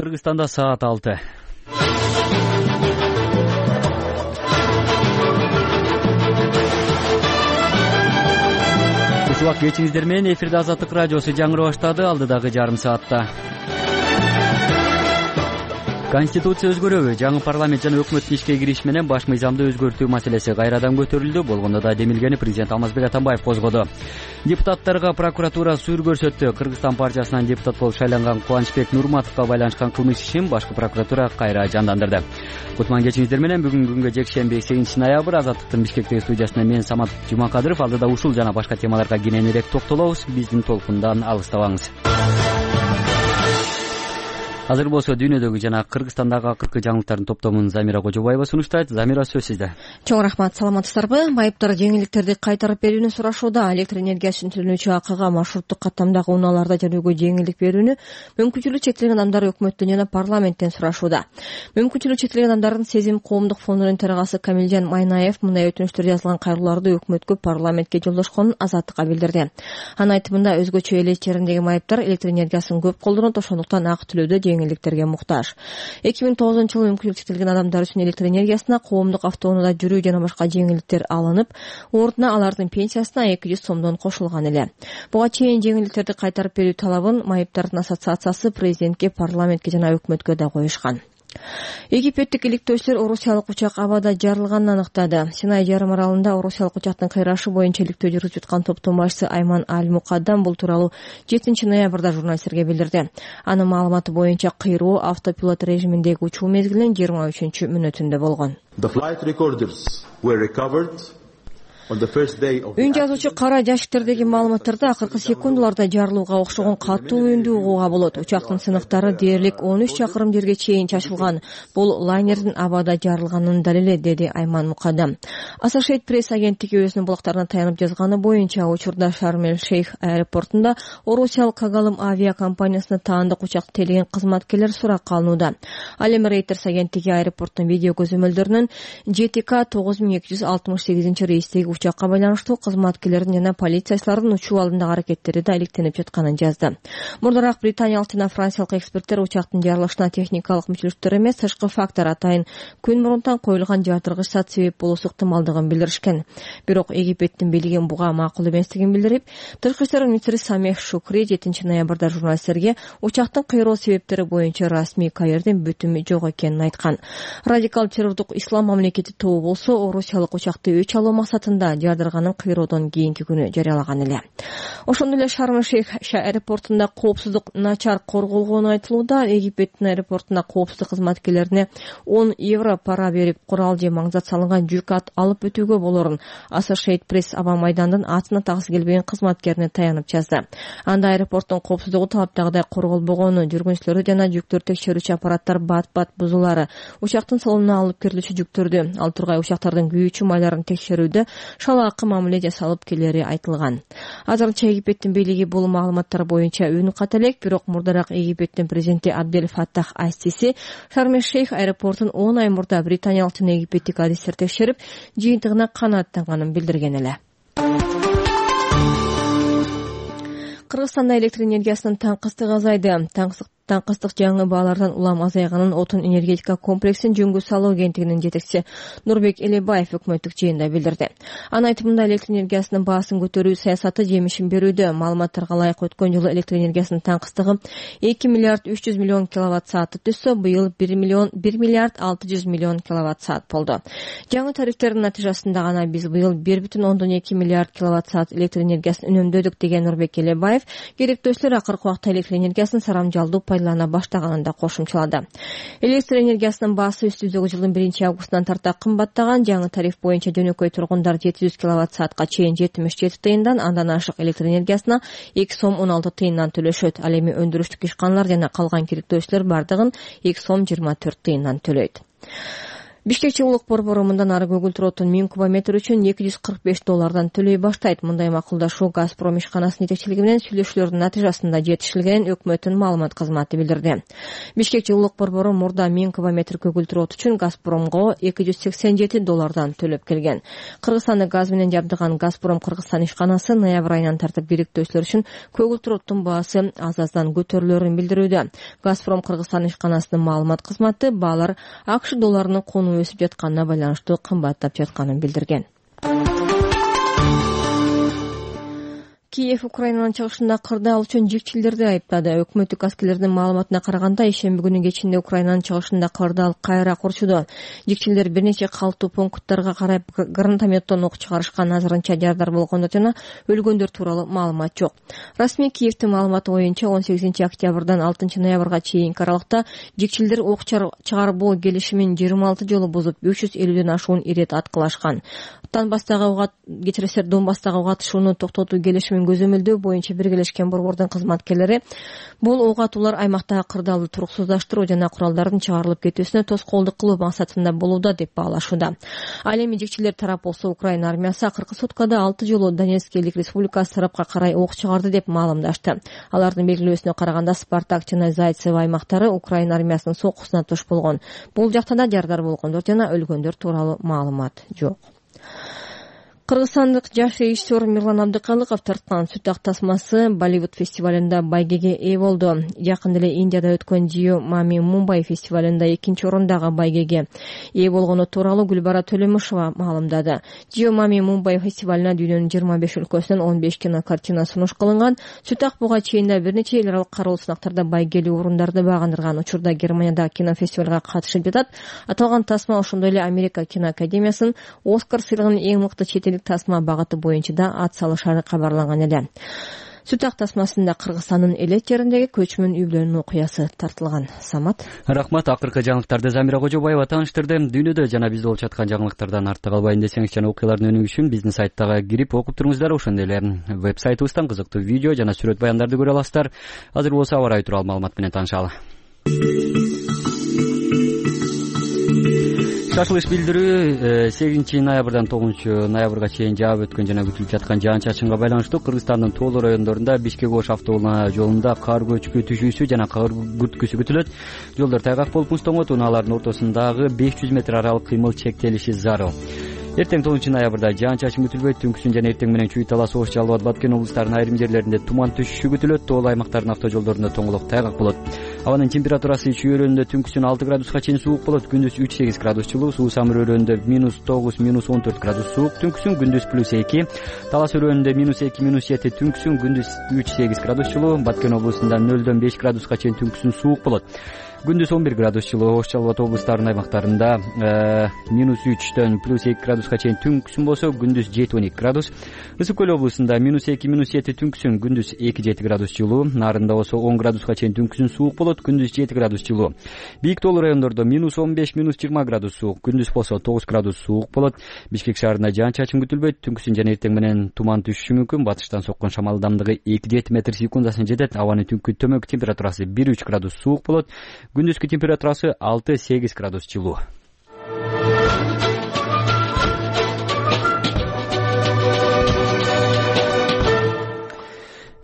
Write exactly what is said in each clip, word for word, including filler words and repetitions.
Кыргызстанда саат алты. Ушул кечиңиздер менен эфирде Азаттык радиосу жаңыры баштады. Алдыдагы жарым саатта Конституция өзгөрөбү? Жаңы парламент жана өкмөттүн ишке кириши менен баш мыйзамды өзгөртүү маселеси кайрадан көтөрүлдү. Болгондо да демилгени президент Алмазбек Атамбаев козгоду. Депутаттарга прокуратура сүйүр көрсөттү. Кыргызстан партиясынан депутат болуп шайланган Кубанычбек Нурматовго байланышкан кылмыш ишин башкы прокуратура кайра жандандырды. Кутман кечиңиздер менен бүгүнкү күнгө жекшемби сегизинчи ноябрь Азаттыктын Бишкектеги студиясында мен Самат Жумакадыров. Алдыда ушул жана башка темаларга кененирээк токтолобуз. Биздин толкундан алыстабаңыз. Азыр болсо дүйнөдөгү жана Кыргызстандагы акыркы жаңылыктардын топтомун Замира Кожобаева сунуштайт. Замира, сөз сизде. Чоң рахмат, саламатсыздарбы? Майыптар жеңилдиктерди кайтарып берүүнү сурашууда. Электр энергиясын төлөнүүчү акыга маршруттук каттамдагы унааларда жүрүүгө жеңилдик берүүнү мүмкүнчүлүгү чектелген адамдар өкмөттөн жана парламенттен сурашууда. Мүмкүнчүлүгү чектелген адамдардын Сезим коомдук фондунун төрагасы Камилжан Майнаев мындай өтүнүчтөр жазылган кайрылууларды өкмөткө, парламентке жолдошконун Азаттыкка билдирди. Анын айтымында өзгөчө эл ичеридеги майыптар электр энергиясын көп колдонот, ошондуктан акы төлөөдө жеңилдиктерге муктаж. эки миң тогузунчу жылы мүмкүнчүлүгү чектелген адамдар үчүн электр энергиясына, коомдук автоунаада жүрүү жана башка жеңилдиктер алынып, ордуна алардын пенсиясына эки жүз сомдон кошулган эле. Буга чейин жеңилдиктерди кайтарып берүү талабын майыптардын ассоциациясы президентке, парламентке жана өкмөткө да коюшкан. Египеттик иликтөөчүлөр орусиялык учак абада жарылганын аныктады. Синай жарым аралында орусиялык учактын кыйрашы боюнча иликтөө жүргүзүп жаткан топтун башчысы Айман Аль-Мукаддам бул тууралуу жетинчи ноябрда журналисттерге билдирди. Анын маалыматы боюнча кыйроо автопилот режиминдеги учуу мезгилинин жыйырма үчүнчү мүнөтүндө болгон. Үн жазуучу кара жашиктердеги маалыматтарда акыркы секундаларда жарылууга окшогон катуу үндү угууга болот. Учактын сыныктары дээрлик он үч чакырым жерге чейин чачылган. Бул лайнердин абада жарылганынын далили, деди Айман Мукаддам. Associated Press агенттиги өзүнүн булактарына таянып жазганы боюнча, учурда Шарм-эль-Шейх аэропортунда орусиялык Кагалым авиакомпаниясына таандык учакты тейлеген кызматкерлер суракка алынууда. Ал эми Reuters агенттиги аэропорттун видео көзөмөлдөрүнүн Ж Т К тогуз миң эки жүз алтымыш сегизинчи рейстеги учакка байланыштуу кызматкерлердин жана полициячылардын учуу алдындагы аракеттери да иликтенип жатканын жазды. Мурдараак британиялык жана франциялык эксперттер учактын жарылышына техникалык мүчөлүктөр эмес, тышкы фактор атайын күн мурунтан коюлган жардыргыч зат себеп болуусу ыктымалдыгын билдиришкен. Бирок Египеттин бийлиги буга макул эместигин билдирип, тышкы иштер министри Самех Шукри жетинчи ноябрда журналисттерге учактын кыйроо себептери боюнча расмий Каирдин бүтүмү жок экенин айткан. Радикал террордук ислам мамлекети тобу болсо орусиялык учакты өч алуу максатында жардырганын кыйроодон кийинки күнү жарыялаган эле. Ошондой эле Шарм-эль-Шейх аэропортунда коопсуздук начар корголгону айтылууда. Египеттин аэропортуна коопсуздук кызматкерлерине он евро пара берип, курал же маңзат салынган жүк ат алып өтүүгө болорун Associated Press аба майдандын атына таксы келбеген кызматкерине таянып жазды. Анда аэропорттун коопсуздугу талаптагыдай корголбогону, жүргүнчүлөрдү жана жүктөрдү текшерүүчү аппараттар бат-бат бузулары, учактын салонуна алып кирилүүчү жүктөрдү, ал тургай учактардын күйүүчү майларын текшерүүдө шалаакы мамиле жасалып келери айтылган. Азырынча Египеттин бийлиги бул маалыматтар боюнча үн ката элек, бирок мурдараак Египеттин президенти Абдель Фаттах Ас-Сиси Шарм-эль-Шейх аэропортун он ай мурда британиялык жана египеттик адистер текшерип, жыйынтыгына канааттанганын билдирген эле. Кыргызстанда электр энергиясынын таңкыстыгы азайды. Таңкыстык жаңы баалардан улам азайганын Отун энергетика комплексин жөнгө салуу агенттигинин жетекчиси Нурбек Элебаев өкмөттүк жыйында билдирди. Анын айтымында электр энергиясынын баасын көтөрүү саясаты жемишин берүүдө. Маалыматтарга ылайык өткөн жылы электр энергиясынын таңкыстыгы эки миллиард үч жүз миллион киловатт саатты түзсө, быйыл бир миллиард алты жүз миллион киловатт саат болду. Жаңы тарифтердин натыйжасында гана биз быйыл бир бүтүн ондон эки миллиард киловатт саат электр энергиясын үнөмдөдүк, деген Нурбек Элебаев керектөөчүлөр акыркы убакта электр энергиясын сарамжалдуу пайдалана баштаганын да кошумчалады. Электр энергиясынын баасы үстүбүздөгү жылдын биринчи августунан тарта кымбаттаган. Жаңы тариф боюнча жөнөкөй тургундар жети жүз киловатт саатка чейин жетимиш жети тыйындан, андан ашык электр энергиясына эки сом он алты тыйындан төлөшөт. Ал эми өндүрүштүк ишканалар жана калган керектөөчүлөр бардыгын эки сом жыйырма төрт тыйындан төлөйт. Бишкек жылуулук борбору мындан ары көгүлтүр оттун миң кубометр үчүн эки жүз кырк беш доллардан төлөй баштайт. Мындай макулдашуу Газпром ишканасынын жетекчилиги менен сүйлөшүүлөрдүн натыйжасында жетишилгенин өкмөттүн маалымат кызматы билдирди. Бишкек жылуулук борбору мурда миң кубометр көгүлтүр от үчүн Газпромго эки жүз сексен жети доллардан төлөп келген. Кыргызстанды газ менен жабдыган Газпром Кыргызстан ишканасы ноябрь айынан тартып бириктөөчүлөр үчүн көгүлтүр оттун баасы аз-аздан көтөрүлөрүн билдирүүдө. Газпром Кыргызстан ишканасынын маалымат кызматы баалар АКШ долларынын куну өсүп жатканына байланыштуу кымбаттап жатканын билдирген. Киев Украинанын чыгышында кырды ал үчүн жикчилдерди айыптады. Өкмөттүк аскерлердин маалыматына караганда, ишемби күнү кечинде Украинанын чыгышында кырды ал кайра курчуду. Жикчилдер бир нече калттуу пункттарга карай гранатометтон ок чыгарышкан, азырынча жардар болгондор жана өлгөндөр тууралуу маалымат жок. Расмий Киевдин маалыматы боюнча он сегизинчи октябрдан алтынчы ноябрга чейинки аралыкта жикчилдер ок чыгарбоо келишимин жыйырма алты жолу бузуп, үч жүз элүүдөн ашуун ирет аткылашкан. Донбасстагы кечиресиздер Донбасстагы ок атышууну токтотуу келишимин көзөмөлдөө боюнча Биргелешкен борбордун кызматкерлери бул ок атуулар аймактагы кырдаалды туруксуздаштыруу жана куралдардын чыгарылып кетүүсүнө тоскоолдук кылуу максатында болууда деп баалашууда. Ал эми жикчилер тарап болсо, Украина армиясы акыркы суткада алты жолу Донецк элдик республикасы тарапка карай ок чыгарды деп маалымдашты. Алардын белгилөөсүнө караганда Спартак жана Зайцево аймактары Украина армиясынын соккусуна туш болгон. Бул жакта да жардар болгондор жана өлгөндөр тууралуу маалымат жок. Кыргызстандык жаш режиссер Мирлан Абдыкалыков тарткан сүт ак тасмасы Болливуд фестивалында байгеге ээ болду. Жакында эле Индияда өткөн Jio Mami Mumbai фестивалында экинчи орондагы байгеге ээ болгону тууралуу Гүлбара Төлөмүшова маалымдады. Jio Mami Mumbai фестивалына дүйнөнүн жыйырма беш өлкөсүнөн он беш кинокартина сунуш кылынган. Сүт ак буга чейин да бир нече эл аралык кароолуу сынактарда байгелүү орундарды багындырган. Учурда Германияда кинофестивалга катышып жатат. Аталган тасма ошондой эле Америка киноакадемиясынын Оскар сыйлыгынын эң мыкты чет тасма багыты боюнча да ат салышары кабарланган эле. Сүт ак тасмасында Кыргызстандын элет жериндеги көчмөн үй-бүлөнүн окуясы тартылган. Самат. Рахмат. Акыркы жаңылыктарды Замира Кожобаева тааныштырды. Дүйнөдө жана бизде болуп жаткан жаңылыктардан артта калбайын десеңиз жана окуялардын өнүгүшү үчүн биздин сайттагы кирип окуп туруңуздар. Ошондой эле веб-сайтыбыздан кызыктуу видео жана сүрөт баяндарды көрө аласыздар. Азыр болсо аба ырайы тууралуу маалымат менен таанышалы. Шашылыш билдирүү сегизинчи ноябрдан тогузунчу ноябрга чейин жаап өткөн жана күтүлүп жаткан жаан-чачынга байланыштуу Кыргызстандын тоолуу райондорунда Бишкек-Ош автоунаа жолунда кар көчкү түшүүсү жана кар күрткүсү күтүлөт. Жолдор тайгак болуп муздоңот, унаалардын ортосундагы беш жүз метр аралык кыймыл чектелиши зарыл. Эртең тогузунчу ноябрда жаан-чачын күтүлбөйт. Түнкүсүн жана эртең менен Чүй Талас, Ош, Жалал Абад, Баткен облустарынын айрым жерлеринде туман түшүшү күтүлөт. Тоолуу аймактардын автожолдорунда тоңолок тайгак болот. Абанын температурасы Чүй өрөөнүндө түнкүсүн алты градуска чейин суук болот. Күндүз үч сегиз градус жылуу. Суу Самыр өрөөнүндө минус тогуз минус он төрт градус суук. Түнкүсүн күндүз плюс эки. Талас өрөөнүндө минус эки минус жети. Түнкүсүн күндүз үч сегиз градус жылуу. Баткен облусунда нөлдөн беш градуска чейин түнкүсүн суук болот. Күндүз он бир градус жылуу. Ош, Жалал Абад облустарынын аймактарында минус үчтөн плюс эки градуска чейин түнкүсүн болсо, күндүз жети он эки градус. Ысык көл облусунда минус эки минус жети, түнкүсүн күндүз эки жети градус жылуу. Нарында болсо он градуска чейин түнкүсүн суук болот, күндүз жети градус жылуу. Бийик тоолуу райондордо минус он беш минус жыйырма градус суук, күндүз болсо тогуз градус суук болот. Бишкек шаарында жаан-чачын күтүлбөйт. Түнкүсүн жана эртең менен туман түшүшү мүмкүн. Батыштан соккон шамал ылдамдыгы эки жети метр секундасына жетет. Абанын түнкү төмөнкү температурасы бир үч градус суук болот. Күндүзкү температурасы алты сегиз градус жылуу.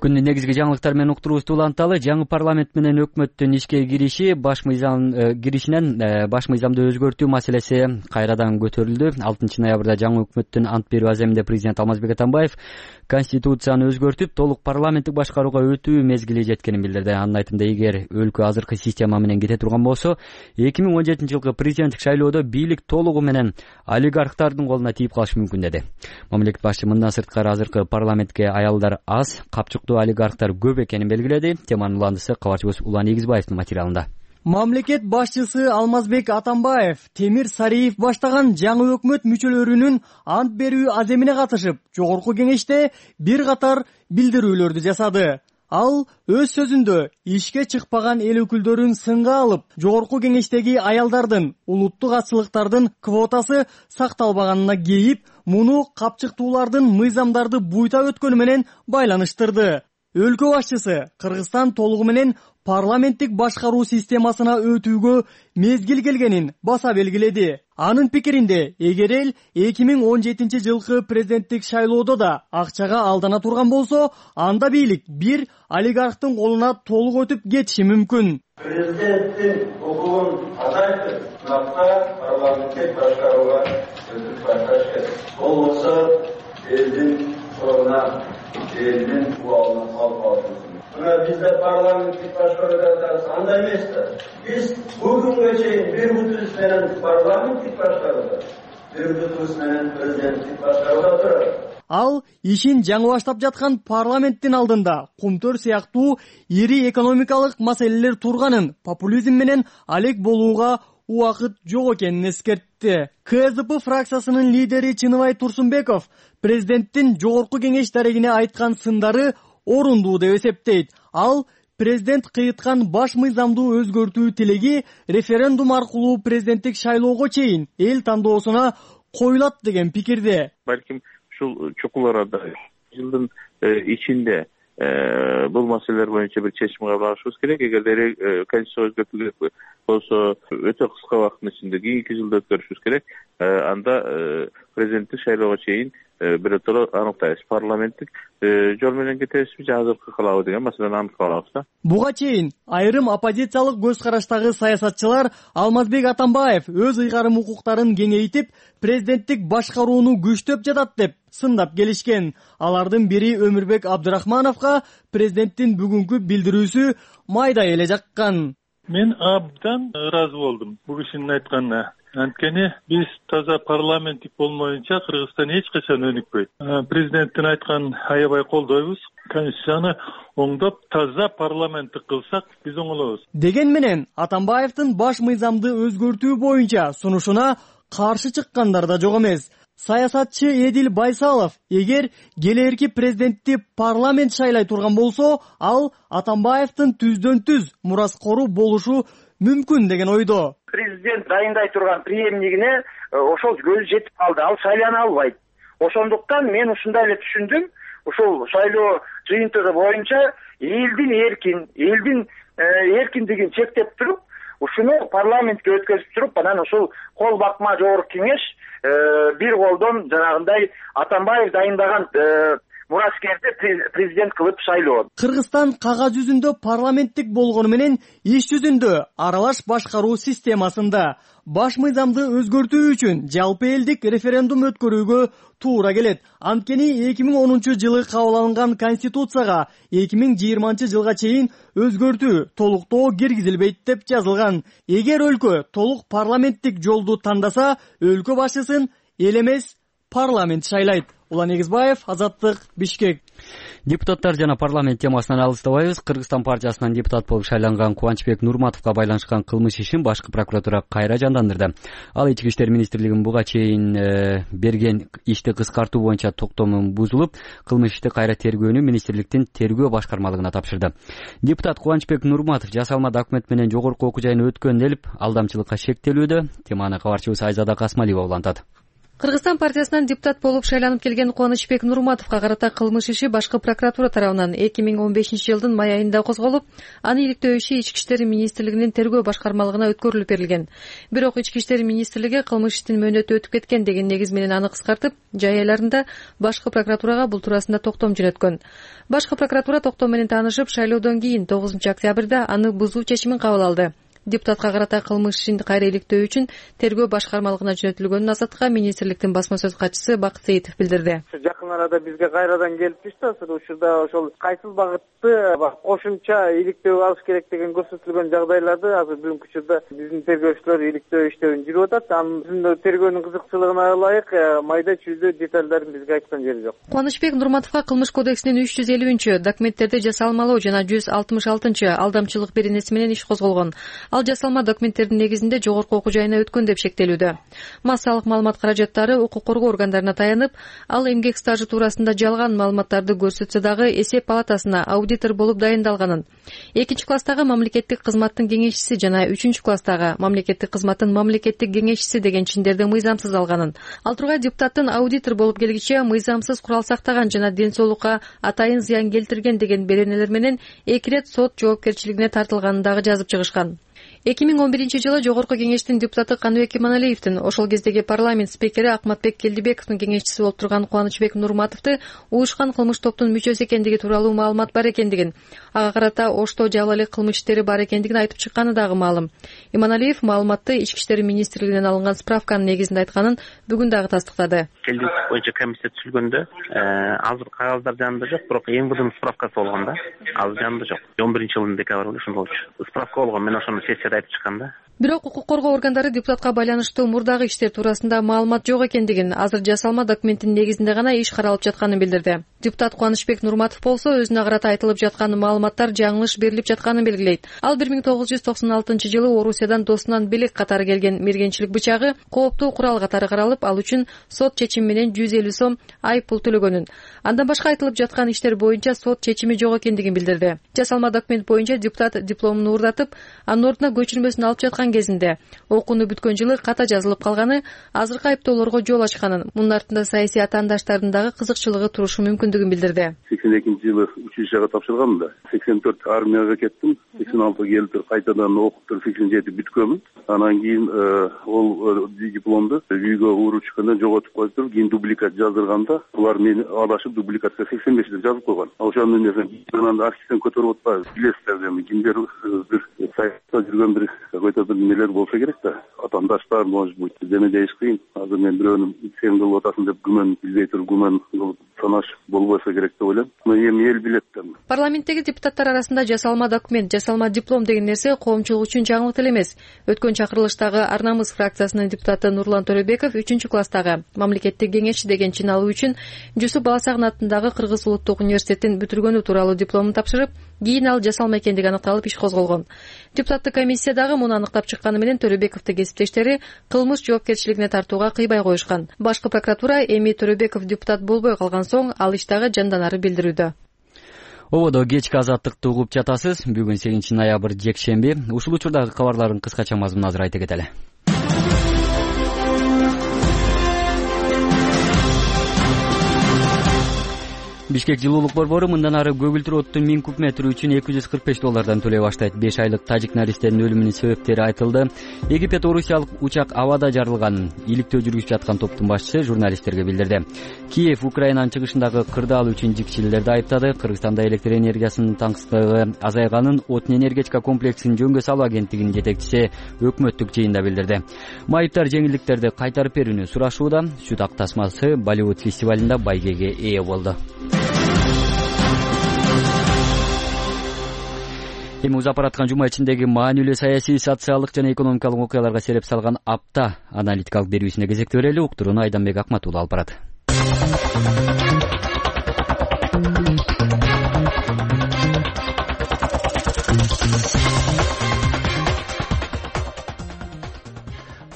Күндүн негизги жаңылыктары менен уктуруубузду уланталы. Жаңы парламент менен өкмөттүн ишке кириши баш мыйзам киришинен баш мыйзамды өзгөртүү маселеси кайрадан көтөрүлдү. алтынчы ноябрда жаңы өкмөттүн ант берүү аземинде президент Алмазбек Атамбаев Конституцияны өзгөртүп, толук парламенттик башкарууга өтүү мезгили жеткенин билдирди. Анын айтымында, эгер өлкө азыркы система менен кете турган болсо, эки миң он жетинчи жылкы президенттик шайлоодо бийлик толугу менен олигархтардын колуна тийип калышы мүмкүн деди. Мамлекет башчы мындан сырткары азыркы парламентке аялдар аз, капчыктуу олигархтар көп экенин белгиледи. Теманын уландысы кабарчыбыз Улан Эгизбаевдин материалында. Мамлекет башчысы Алмазбек Атамбаев Темир Сариев баштаган жаңы өкмөт мүчөлөрүнүн ант берүү аземине катышып, жогорку кеңеште бир катар билдирүүлөрдү жасады. Ал өз сөзүндө ишке чыкпаган эл өкүлдөрүн сынга алып, жогорку кеңештеги аялдардын улуттук атчылыктардын квотасы сакталбаганына кейип, муну капчыктуулардын мыйзамдарды буйта өткөнү менен байланыштырды. Өлкө башчысы Кыргызстан толугу менен парламенттик башкаруу системасына өтүүгө мезгил келгенин баса белгиледи. Анын пикиринде, эгер эл эки миң он жетинчи жылкы президенттик шайлоодо да акчага алдана турган болсо, анда бийлик бир олигархтын колуна толук өтүп кетиши мүмкүн. Президенттин укугун азайтып, мынакта парламенттик башкарууга өтүп башташ керек. Болбосо элдин соруна, элдин убалына калып калат. Мына бизде парламенттик башкарууга андай эмес да. Биз бүгүнгө чейин бир бутубуз менен парламенттик башкарууда, бир бутубуз менен президенттик башкарууда турат. Ал ишин жаңы баштап жаткан парламенттин алдында кумтөр сыяктуу ири экономикалык маселелер турганын, популизм менен алек болууга убакыт жок экенин эскертти. КСДП фракциясынын лидери Чыныбай Турсунбеков президенттин жогорку кеңеш дарегине айткан сындары орундуу деп эсептейт. Ал президент кыйыткан баш мыйзамдуу өзгөртүү тилеги референдум аркылуу президенттик шайлоого чейин эл тандоосуна коюлат деген пикирде. Балким ушул чукул арада жылдын ичинде бул маселелер боюнча бир чечим кабыл алышыбыз керек. Эгер конституция өзгөртүү керек болсо, өтө кыска убакыттын ичинде кийинки жылда өткөрүшүбүз керек. Анда президенттик шайлоого чейин биротоло аныктайбыз. Парламенттик жол менен кетебизби же азыркы кылабы деген маселени аныктап алабыз да. Буга чейин айрым оппозициялык көз караштагы саясатчылар Алмазбек Атамбаев өз ыйгарым укуктарын кеңейтип, президенттик башкарууну күчтөп жатат деп сындап келишкен. Алардын бири Өмүрбек Абдырахмановго президенттин бүгүнкү билдирүүсү майдай эле жаккан. Мен абдан ыраазы болдум бул кишинин айтканына. Анткени биз таза парламенттик болмоюнча Кыргызстан эч качан өнүкпөйт. Президенттин айтканын аябай колдойбуз. Конституцияны оңдоп, таза парламенттик кылсак, биз оңолобуз. Деген менен Атамбаевдин баш мыйзамды өзгөртүү боюнча сунушуна каршы чыккандар да жок эмес. Саясатчы Эдил Байсалов, эгер келээрки президентти парламент шайлай турган болсо, ал Атамбаевдин түздөн түз мураскору болушу мүмкүн деген ойдо. Президент дайындай турган преемнигине ошол көз жетип калды, ал шайлана албайт. Ошондуктан мен ушундай эле түшүндүм, ушул шайлоо жыйынтыгы боюнча элдин эркин, элдин эркиндигин чектеп туруп, ушуну парламентке өткөзүп туруп, анан ушул кол бакма жогорку кеңеш бир колдон жанагындай Атамбаев дайындаган мураскерди президент кылып шайлоо. Кыргызстан кагаз жүзүндө парламенттик болгону менен иш жүзүндө аралаш башкаруу системасында баш мыйзамды өзгөртүү үчүн жалпы элдик референдум өткөрүүгө туура келет. Анткени эки миң онунчу жылы кабыл алынган конституцияга эки миң жыйырманчы жылга чейин өзгөртүү толуктоо киргизилбейт деп жазылган. Эгер өлкө толук парламенттик жолду тандаса, өлкө башчысын эл эмес парламент шайлайт. Улан Эгизбаев, Азаттык, Бишкек. Депутаттар жана парламент темасынан алыстабайбыз. Кыргызстан партиясынан депутат болуп шайланган Кубанычбек Нурматовго байланышкан кылмыш ишин башкы прокуратура кайра жандандырды. Ал Ички иштер министрлигинин буга чейин э, берген ишти кыскартуу боюнча токтомун бузулуп, кылмыш ишти кайра тергөөнү министрликтин тергөө башкармалыгына тапшырды. Депутат Кубанычбек Нурматов жасалма документ менен жогорку окуу жайына өткөн делип, алдамчылыкка шектелүүдө. Теманы кабарчыбыз Айзада Касмалиева улантат. Кыргызстан партиясынан депутат болуп шайланып келген Кубанычбек Нурматовго карата кылмыш иши башкы прокуратура тарабынан эки миң он бешинчи жылдын май айында козголуп, аны иликтөө иши Ички иштер министрлигинин тергөө башкармалыгына өткөрүлүп берилген. Бирок Ички иштер министрлиги кылмыш иштин мөөнөтү өтүп кеткен деген негиз менен аны кыскартып, жай айларында башкы прокуратурага бул туурасында токтом жөнөткөн. Башкы прокуратура токтом менен таанышып, шайлоодон кийин тогузунчу октябрда аны бузуу чечимин кабыл алды. Депутатка карата кылмыш ишин кайра иликтөө үчүн тергөө башкармалыгына жөнөтүлгөнүн Азаттыкка министрликтин басма сөз катчысы Бакыт Сейитов билдирди. Жакын арада бизге кайрадан келип түштү. Учурда ошол кайсыл багытты кошумча иликтөө алыш керек деген көрсөтүлгөн жагдайларды азыр бүгүнкү учурда биздин тергөөчүлөр иликтөө иштебин жүрүп атат. Анын тергөөнүн кызыкчылыгына ылайык майда чүйдө деталдарын бизге айткан жери жок. Кубанычбек Нурматовго кылмыш кодексинин үч жүз элүүнчү документтерди жасалмалоо жана жүз алтымыш алтынчы алдамчылык беренеси менен иш козголгон. Ал жасалма документтердин негизинде жогорку окуу жайына өткөн деп шектелүүдө. Массалык маалымат каражаттары укук коргоо органдарына таянып, ал эмгек стажы туурасында жалган маалыматтарды көрсөтсө дагы эсеп палатасына аудитор болуп дайындалганын, экинчи класстагы мамлекеттик кызматтын кеңешчиси жана үчүнчү класстагы мамлекеттик кызматтын мамлекеттик кеңешчиси деген чиндерди мыйзамсыз алганын, ал тургай депутаттын аудитор болуп келгиче мыйзамсыз курал сактаган жана ден соолукка атайын зыян келтирген деген беренелер менен эки ирет сот жоопкерчилигине тартылганын дагы жазып чыгышкан. эки миң он биринчи жылы жогорку кеңештин депутаты Каныбек Иманалиевдин ошол кездеги парламент спикери Акматбек Келдибековдун кеңешчиси болуп турган Кубанычбек Нурматовду уюшкан кылмыш топтун мүчөсү экендиги тууралуу маалымат бар экендигин, ага карата Ошто жабыл элек кылмыш иштери бар экендигин айтып чыкканы дагы маалым. Иманалиев маалыматты Ички иштер министрлигинен алынган справканын негизинде айтканын бүгүн дагы тастыктады. Келдик боюнча комиссия түзүлгөндө азыр кагаздар жанында жок, бирок эң мурдун справкасы болгон да. Азыр жанында жок. он биринчи жылдын декабрында ошондо болчу. Справка болгон, мен ошону сессияда айтып чыкканда. Бирок укук коргоо органдары депутатка байланыштуу мурдагы иштер туурасында маалымат жок экендигин, азыр жасалма документтин негизинде гана иш каралып жатканын билдирди. Депутат Кубанычбек Нурматов болсо өзүнө карата айтылып жаткан маалыматтар жаңылыш берилип жатканын белгилейт. Ал бир миң тогуз жүз токсон алтынчы жылы Орусиядан досунан белек катары келген мергенчилик бычагы кооптуу курал катары каралып, ал үчүн сот чечими менен жүз элүү сом айып пул төлөгөнүн. Андан башка айтылып жаткан иштер боюнча сот чечими жок экендигин билдирди. Жасалма документ боюнча депутат дипломун уурдатып, анын ордуна көчүрмөсүн алып жаткан кезинде окууну бүткөн жылы ката жазылып калганы, азыркы айыптоолорго жол ачканын, мунун артында саясий атаандаштардын дагы кызыкчылыгы турушу мүмкүндүгүн билдирди. сексен экинчи жылы училищага тапшырганмын да. сексен төрт армияга кеттим. сексен алты келип кайтадан окуп туруп сексен жети бүткөнмүн. Анан кийин ол дипломду үйгө уруп чыкканда жоготуп коюп, кийин дубликат жаздырганда, булар мени адашып дубликатка сексен беш деп жазып койгон. Ошондон кийин архивден көтөрүп атпайбы? Билесиздер, эми кимдер бир саясатта жүргөн бир какой-то бир нелер болсо керек да. Атаандаштар, может быть, деме дейиш кыйын. Азыр мен бирөөнү сен кылып атасың деп күмөн билбей туруп күмөн кылып санашып болбосо керек деп ойлойм. Эми эл билет да. Парламенттеги депутаттар арасында жасалма документ, жасалма диплом деген нерсе коомчулук үчүн жаңылык эле эмес. Өткөн чакырылыштагы Ар намыс фракциясынын депутаты Нурлан Төрөбеков үчүнчү класстагы мамлекеттик кеңешчи деген чин алуу үчүн Жусуп Баласагын атындагы Кыргыз улуттук университетин бүтүргөнү тууралуу дипломун тапшырып, кийин ал жасалма экендиги аныкталып иш козголгон. Депутаттык комиссиядагы муну аныктап чыкканы менен Төрөбековдун кесиптештери кылмыш жоопкерчилигине тартууга кыйбай коюшкан. Башкы прокуратура эми Төрөбеков депутат болбой калган соң ал иштагы жанданары билдирүүдө. Ободо кечки азаттыкты угуп жатасыз. Бүгүн сегизинчи ноябрь жекшемби. Ушул учурдагы кабарлардын кыскача мазмунун азыр айта кетели. Бишкек жылуулук борбору мындан ары көгүлтүр оттун миң куб метри үчүн эки жүз кырк беш доллардан төлөй баштайт. беш айлык тажик наристеринин өлүмүнүн себептери айтылды. Египет орусиялык учак абада жарылганын иликтөө жүргүзүп жаткан топтун башчысы журналисттерге билдирди. Киев Украинанын чыгышындагы кырдаал үчүн жикчилерди айыптады. Кыргызстанда электр энергиясынын таңсыздыгы азайганын Отун энергетика комплексин жөнгө салуу агенттигинин жетекчиси өкмөттүк жыйында билдирди. Майыптар жеңилдиктерди кайтарып берүүнү сурашууда. Сүт ак тасмасы Болливуд фестивалында байгеге ээ болду. Эми узап бараткан жума ичиндеги маанилүү саясий, социалдык жана экономикалык окуяларга сереп салган апта аналитикалык берүүсүнө кезекти берели. Уктурууну Айданбек Акматулла алып барат.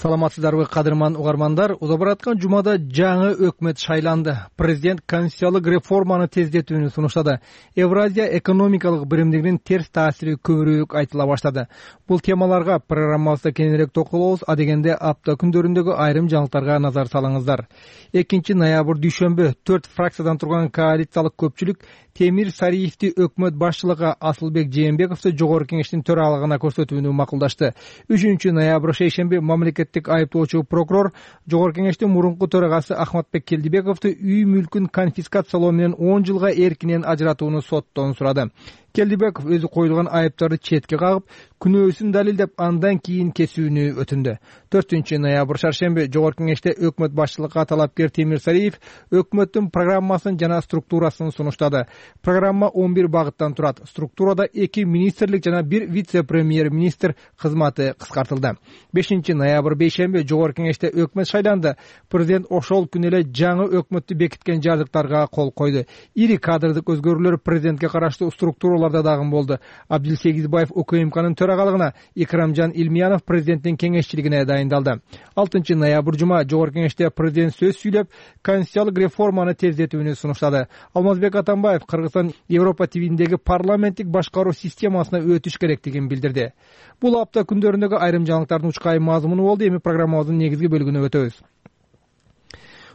Саламатсыздарбы, кадырман угармандар. Узап бараткан жумада жаңы өкмөт шайланды. Президент конституциялык реформаны тездетүүнү сунуштады. Евразия экономикалык биримдигинин терс таасири көбүрөөк айтыла баштады. Бул темаларга программабызда кененирээк токолобуз. Адегенде апта күндөрүндөгү айрым жаңылыктарга назар салыңыздар. экинчи ноябрь дүйшөмбү төрт фракциядан турган коалициялык көпчүлүк Темир Сариевди өкмөт башчылыгы, Асылбек Жээнбековду жогорку кеңештин төралыгына көрсөтүүнү макулдашты. үчүнчү ноябрь шейшемби мамлекеттик айыптоочу прокурор жогорку кеңештин мурунку төрагасы Акматбек Келдибековду үй мүлкүн конфискациялоо менен он жылга эркинен ажыратууну соттон сурады. Келдибеков өзү коюлган айыптарды четке кагып, күнөөсүн далилдеп, андан кийин кесүүнү өтүндү. төртүнчү ноябрь шаршемби жогорку кеңеште өкмөт башчылыгына талапкер Темир Сариев өкмөттүн программасын жана структурасын сунуштады. Программа он бир багыттан турат. Структурада эки министрлик жана бир вице-премьер-министр кызматы кыскартылды. бешинчи ноябрь бейшемби жогорку кеңеште өкмөт шайланды. Президент ошол күнү эле жаңы өкмөттү бекиткен жардыктарга кол койду. Ири кадрдык өзгөрүүлөр президентке караштуу структуралар учурларда дагы болду. Абдил Сегизбаев УКМКнын төрагалыгына, Икрамжан Илмиянов президенттин кеңешчилигине дайындалды. алтынчы ноябрь жума жогорку кеңеште президент сөз сүйлөп, конституциялык реформаны тездетүүнү сунуштады. Алмазбек Атамбаев Кыргызстан Европа тибиндеги парламенттик башкаруу системасына өтүш керектигин билдирди. Бул апта күндөрүндөгү айрым жаңылыктардын учкай мазмуну болду. Эми программабыздын негизги бөлүгүнө өтөбүз.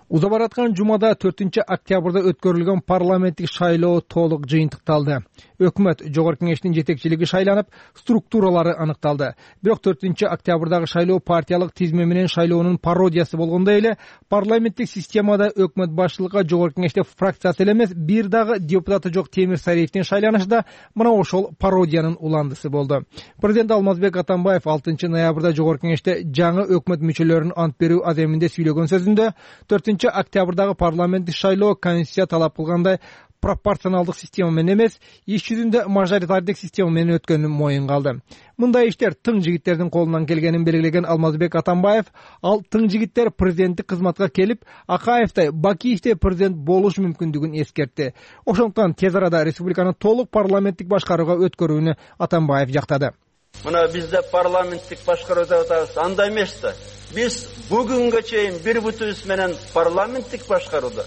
Уза бараткан жумада төртүнчү октябрда өткөрүлгөн парламенттик шайлоо толук жыйынтыкталды. Өкмөт жогорку кеңештин жетекчилиги шайланып, структуралары аныкталды. Бирок төртүнчү октябрдагы шайлоо партиялык тизме менен шайлоонун пародиясы болгондой эле, парламенттик системада өкмөт башчылыкка жогорку кеңеште фракциясы эле эмес, бир дагы депутаты жок Темир Сариевдин шайланышы да мына ошол пародиянын уландысы болду. Президент Алмазбек Атамбаев алтынчы ноябрда жогорку кеңеште жаңы өкмөт мүчөлөрүнүн ант берүү аземинде сүйлөгөн сөзүндө төртүнчү октябрдагы парламенттик шайлоо конституция талап кылгандай пропорционалдык система менен эмес, иш жүзүндө мажоритардык система менен өткөнүн моюнга алды. Мындай иштер тың жигиттердин колунан келгенин белгилеген Алмазбек Атамбаев, ал тың жигиттер президенттик кызматка келип, Акаевтай, Бакиевдей президент болуш мүмкүндүгүн эскертти. Ошондуктан тез арада республиканы толук парламенттик башкарууга өткөрүүнү Атамбаев жактады. Мына бизде парламенттик башкаруу деп атабыз, андай эмес да. Биз бүгүнгө чейин бир бүтүбүз менен парламенттик башкарууда,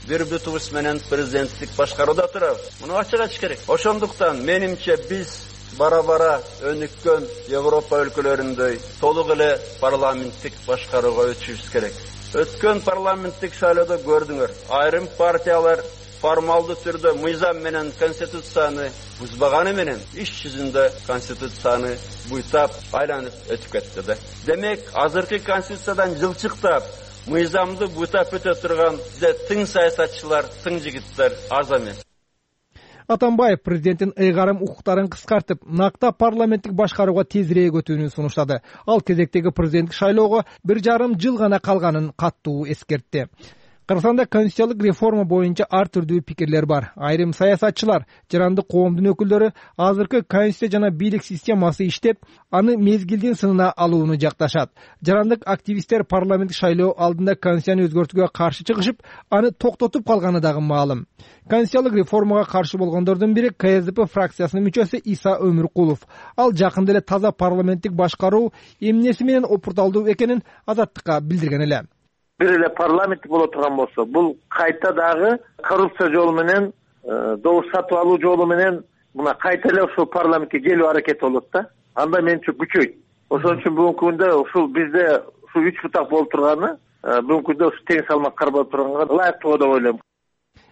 бир бүтүбүз менен президенттик башкарууда турабыз. Муну ачык айтыш керек. Ошондуктан менимче биз бара-бара өнүккөн Европа өлкөлөрүндөй толук эле парламенттик башкарууга өтүшүбүз керек. Өткөн парламенттик шайлоодо көрдүңөр, айрым партиялар формалдуу түрдө мыйзам менен конституцияны бузбаганы менен иш жүзүндө конституцияны буйтап айланып өтүп кетти да. Демек, азыркы конституциядан жылчыктап, мыйзамды буйтап өтө турган бизде тың саясатчылар, тың жигиттер аз эмес. Атамбаев президенттин ыйгарым укуктарын кыскартып, накта парламенттик башкарууга тезирээк өтүүнү сунуштады. Ал кезектеги президенттик шайлоого бир жарым жыл гана калганын каттуу эскертти. Кыргызстанда конституциялык реформа боюнча ар түрдүү пикирлер бар. Айрым саясатчылар, жарандык коомдун өкүлдөрү азыркы конституция жана бийлик системасы иштеп, аны мезгилдин сынына алууну жакташат. Жарандык активисттер парламенттик шайлоо алдында конституцияны өзгөртүүгө каршы чыгышып, аны токтотуп калганы дагы маалым. Конституциялык реформага каршы болгондордун бири Ка Эс Д П фракциясынын мүчөсү Иса Өмүркулов. Ал жакында эле таза парламенттик башкаруу эмнеси менен опурталдуу экенин Азаттыкка билдирген эле. Бир эле парламенттик боло турган болсо, бул кайта дагы коррупция жолу менен, добуш сатып алуу жолу менен мына кайта эле ушул парламентке келүү аракети болот да. Анда менимче күчөйт. Ошон үчүн бүгүнкү күндө ушул бизде ушул үч бутак болуп турганы, бүгүнкү күндө ушу тең салмак каралып турганга ылайыктуу деп ойлойм.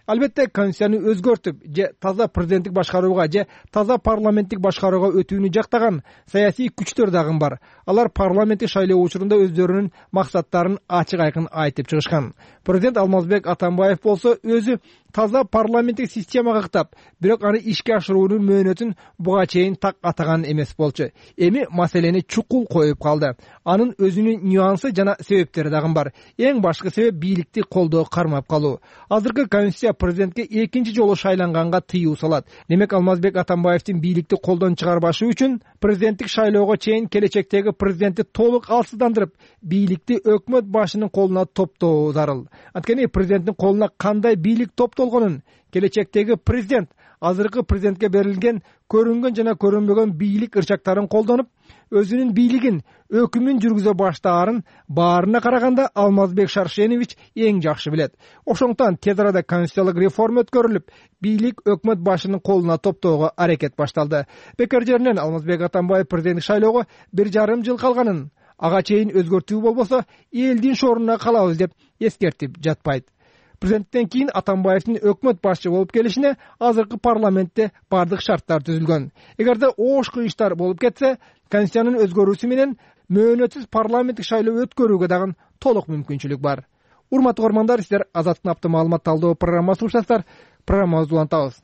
Албетте, конституцияны өзгөртүп, же таза президенттик башкарууга, же таза парламенттик башкарууга өтүүнү жактаган саясий күчтөр дагы бар. Алар парламенттик шайлоо учурунда өздөрүнүн максаттарын ачык айкын айтып чыгышкан. Президент Алмазбек Атамбаев болсо өзү таза парламенттик системага кытап, бирок аны ишке ашыруунун мөөнөтүн буга чейин так атаган эмес болчу. Эми маселени чукул коюп калды. Анын өзүнүн нюансы жана себептери дагы бар. Эң башкы себеп бийликти колдоо кармап калуу. Азыркы конституция президентке экинчи жолу шайланганга тыюу салат. Демек, Алмазбек Атамбаевдин бийликти колдон чыгарбашы үчүн президенттик шайлоого чейин келечектеги президентти толук алсыздандырып, бийликти өкмөт башынын колуна топтоо зарыл. Анткени президенттин колуна кандай бийлик топтолгонун келечектеги президент азыркы президентке берилген көрүнгөн жана көрүнбөгөн бийлик ырчактарын колдонуп, өзүнүн бийлигин, өкүмүн жүргүзө баштаарын баарына караганда Алмазбек Шаршенович эң жакшы билет. Ошондуктан тез арада конституциялык реформа өткөрүлүп, бийлик өкмөт башынын колуна топтоого аракет башталды. Бекер жеринен Алмазбек Атамбаев президенттик шайлоого бир жарым жыл калганын, ага чейин өзгөртүү болбосо элдин шорунда калабыз деп эскертип жатпайт. Президенттен кийин Атамбаевдин өкмөт башчы болуп келишине азыркы парламентте бардык шарттар түзүлгөн. Эгерде оош кыйыштар болуп кетсе, конституциянын өзгөрүүсү менен мөөнөтсүз парламенттик шайлоо өткөрүүгө дагы толук мүмкүнчүлүк бар. Урматтуу көрөрмандар, сиздер Азаттыктын апта маалымат талдоо программасын уктасыздар. Программабызды улантабыз.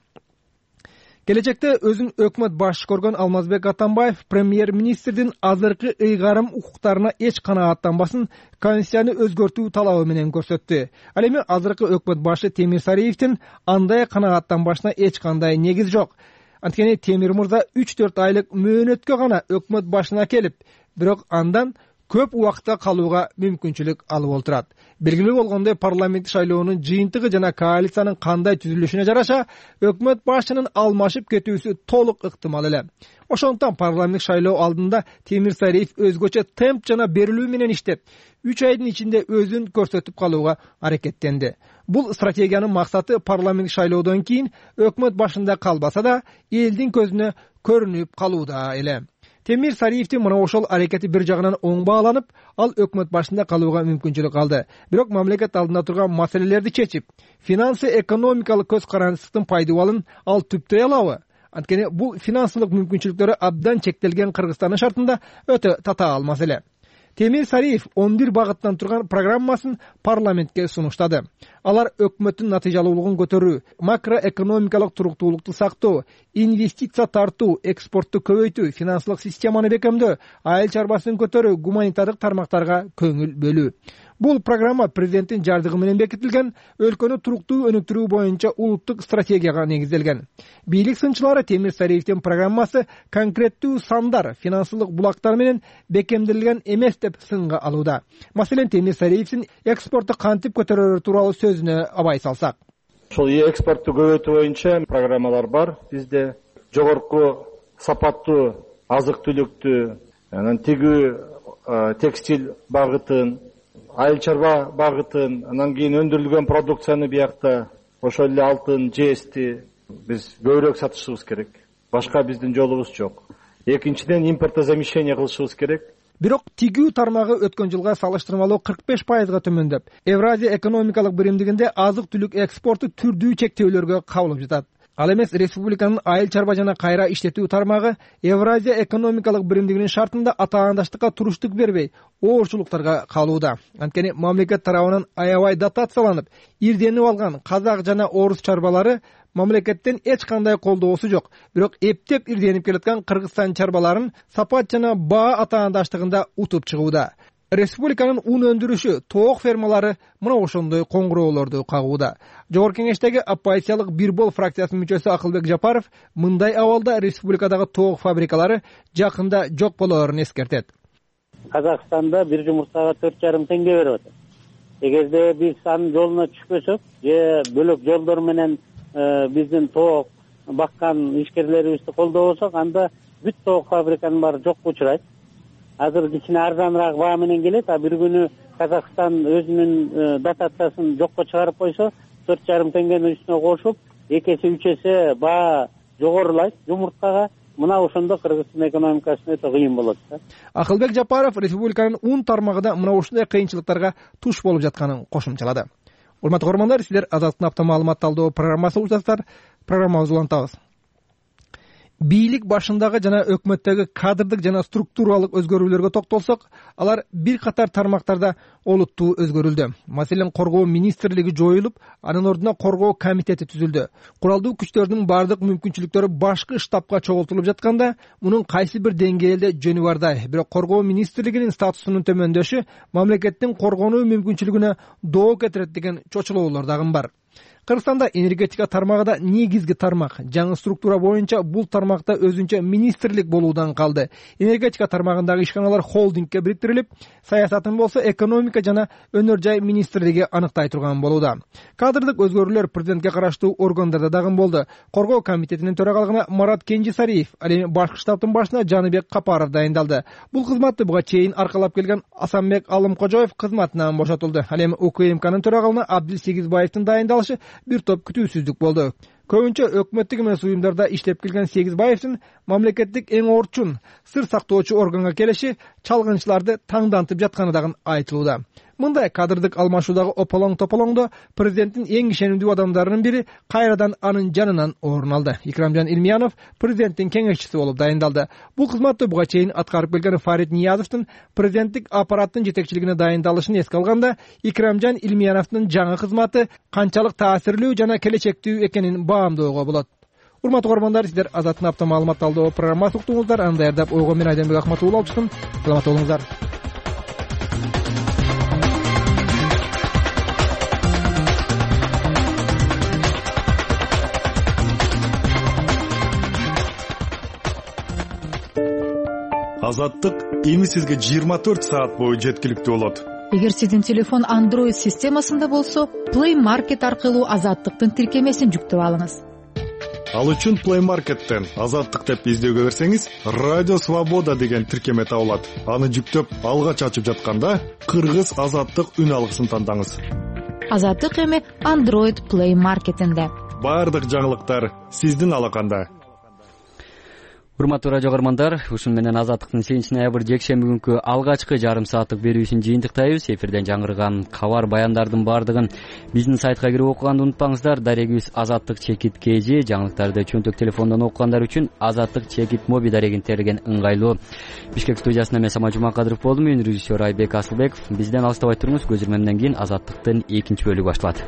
Келечекте өзүн өкмөт башчы көргөн Алмазбек Атамбаев премьер-министрдин азыркы ыйгарым укуктарына эч канааттанбасын конституцияны өзгөртүү талабы менен көрсөттү. Ал эми азыркы өкмөт башчы Темир Сариевдин андай канааттанбашына эч кандай негиз жок. Анткени Темир мырза үч төрт айлык мөөнөткө гана өкмөт башына келип, бирок андан көп убакытка калууга мүмкүнчүлүк алып отурат. Белгилүү болгондой, парламенттик шайлоонун жыйынтыгы жана коалициянын кандай түзүлүшүнө жараша өкмөт башчынын алмашып кетүүсү толук ыктымал эле. Ошондуктан парламенттик шайлоо алдында Темир Сариев өзгөчө темп жана берилүү менен иштеп, үч айдын ичинде өзүн көрсөтүп калууга аракеттенди. Бул стратегиянын максаты парламенттик шайлоодон кийин өкмөт башында калбаса да, элдин көзүнө көрүнүп калууда эле. Темир Сариевдин мына ошол аракети бир жагынан оң бааланып, ал өкмөт башында калууга мүмкүнчүлүк алды. Бирок мамлекет алдында турган маселелерди чечип, финансы экономикалык көз карандысыздын пайдубалын ал түптөй алабы? Анткени бул финансылык мүмкүнчүлүктөрү абдан чектелген Кыргызстандын шартында өтө татаал маселе. Темир Сариев он бир багыттан турган программасын парламентке сунуштады. Алар өкмөттүн натыйжалуулугун көтөрүү, макроэкономикалык туруктуулукту сактоо, инвестиция тартуу, экспортту көбөйтүү, финансылык системаны бекемдөө, айыл чарбасын көтөрүү, гуманитардык тармактарга көңүл бөлүү. Бул программа президенттин жардыгы менен бекитилген, өлкөнү туруктуу өнүктүрүү боюнча улуттук стратегияга негизделген. Бийлик сынчылары Темир Сариевдин программасы конкреттүү сандар, финансылык булактар менен бекемдилген эмес деп сынга алууда. Маселен, Темир Сариевдин экспортту кантип көтөрөрү тууралуу сөзүнө абай салсак. Ошол экспортту көбөйтүү боюнча программалар бар. Бизде жогорку сапаттуу азык-түлүктү, анан тигүү текстиль багытын, айыл чарба багытын, анан кийин өндүрүлгөн продукцияны биякта, ошол эле алтын, жести биз көбүрөөк сатышыбыз керек. Башка биздин жолубуз жок. Экинчиден, импортозамещение кылышыбыз керек. Бирок тигүү тармагы өткөн жылга салыштырмалуу кырк беш пайызга төмөндөп, Евразия экономикалык биримдигинде азык-түлүк экспорту түрдүү чектөөлөргө кабылып жатат. Ал эмес республиканын айыл чарба жана кайра иштетүү тармагы Евразия экономикалык биримдигинин шартында атаандаштыкка туруштук бербей, оорчулуктарга калууда. Анткени мамлекет тарабынан аябай дотацияланып, ирденип алган казак жана орус чарбалары мамлекеттен эч кандай колдоосу жок. Бирок эптеп ирденип келаткан Кыргызстан чарбаларын сапат жана баа атаандаштыгында утуп чыгууда. Республиканын ун өндүрүшү, тоок фермалары мына ошондой коңгуроолорду кагууда. Жогорку кеңештеги оппозициялык Бир бол фракциясынын мүчөсү Акылбек Жапаров мындай абалда республикадагы тоок фабрикалары жакында жок болоорун эскертет. Казакстанда бир жумуртага төрт жарым теңге берип атат. Эгерде биз анын жолуна түшпөсөк, же бөлөк жолдор менен биздин тоок баккан ишкерлерибизди колдобосок, анда бүт тоок фабриканын баары жокко учурайт. Азыр кичине арзаныраак баа менен келет, а бир күнү Казакстан өзүнүн дотациясын жокко чыгарып койсо, төрт жарым теңгенин үстүнө кошуп, эки эсе үч эсе баа жогорулайт жумурткага. Мына ошондо Кыргыздын экономикасына өтө кыйын болот да. Акылбек Жапаров республиканын ун тармагында мына ушундай кыйынчылыктарга туш болуп жатканын кошумчалады. Урматтуу көрөрмандар, сиздер Азаттын апта маалымат талдоо программасы улантасыздар. Программабызды улантабыз. Бийлик башындагы жана өкмөттөгү кадрдык жана структуралык өзгөрүүлөргө токтолсок, алар бир катар тармактарда олуттуу өзгөрүлдү. Маселен, коргоо министрлиги жоюлуп, анын ордуна коргоо комитети түзүлдү. Куралдуу күчтөрдүн бардык мүмкүнчүлүктөрү башкы штабка чогултулуп жатканда, мунун кайсы бир деңгээлде жөнү бардай. Бирок коргоо министрлигинин статусунун төмөндөшү мамлекеттин коргонуу мүмкүнчүлүгүнө доо кетирет деген чочулоолор дагы бар. Кыргызстанда энергетика тармагы да негизги тармак. Жаңы структура боюнча бул тармакта өзүнчө министрлик болуудан калды. Энергетика тармагындагы ишканалар холдингке бириктирилип, саясатын болсо экономика жана өнөр жай министрлиги аныктай турган болууда. Кадрдык өзгөрүүлөр президентке караштуу органдарда дагы болду. Коргоо комитетинин төрагалыгына Марат Кенжесариев, ал эми башкы штабтын башына Жаныбек Капаров дайындалды. Бул кызматты буга чейин аркалап келген Асанбек Алымкожоев кызматынан бошотулду. Ал эми УКМКнын төрагалына Абдилсегизбаевдин дайындалышы бир топ күтүүсүздүк болду. Көбүнчө өкмөттүк эмес уюмдарда иштеп келген Сегизбаевдин мамлекеттик эң орчун сыр сактоочу органга келиши чалгынчыларды таңдантып жатканы дагы айтылууда. Мындай кадрдык алмашуудагы ополоң тополоңдо президенттин эң ишенимдүү адамдарынын бири кайрадан анын жанынан орун алды. Икрамжан Илмиянов президенттин кеңешчиси болуп дайындалды. Бул кызматты буга чейин аткарып келген Фарид Ниязовдун президенттик аппараттын жетекчилигине дайындалышын эске алганда, Икрамжан Илмияновдун жаңы кызматы канчалык таасирлүү жана келечектүү экенин баамдоого болот. Урматтуу көрөрмандар, сиздер Азаттын апта маалымат талдоо программасын уктуңуздар. Аны даярдап ойгон мен Айденбек Акматулла алчытым. Саламат болуңуздар. Азаттык эми сизге жыйырма төрт саат бою жеткиликтүү болот. Эгер сиздин телефон Android системасында болсо, Play Market аркылуу Азаттыктын тиркемесин жүктөп алыңыз. Ал үчүн Play Market'тен Азаттык деп издөөгө берсеңиз, Радио Свобода деген тиркеме табылат. Аны жүктөп алгач ачып жатканда Кыргыз Азаттык үн алгысын тандаңыз. Азаттык эми Android Play Market'инде. Бардык жаңылыктар сиздин алаканда. Урматтуу радио көрөрмандар, ушун менен Азаттыктын сегизинчи ноябрь жекшемби күнкү алгачкы жарым сааттык берүүсүн жыйынтыктайбыз. Эфирден жаңырган кабар баяндардын бардыгын биздин сайтка кирип окуганды унутпаңыздар. Дарегибиз Азаттык чекит кж, жаңылыктарды чөнтөк телефондон окугандар үчүн Азаттык чекит моби дарегин териген ыңгайлуу. Бишкек студиясында мен Самат Жумакадыров болдум, мен режиссер Айбек Асылбеков. Бизден алыстабай туруңуз, көз ирмемден кийин Азаттыктын экинчи бөлүгү башталат.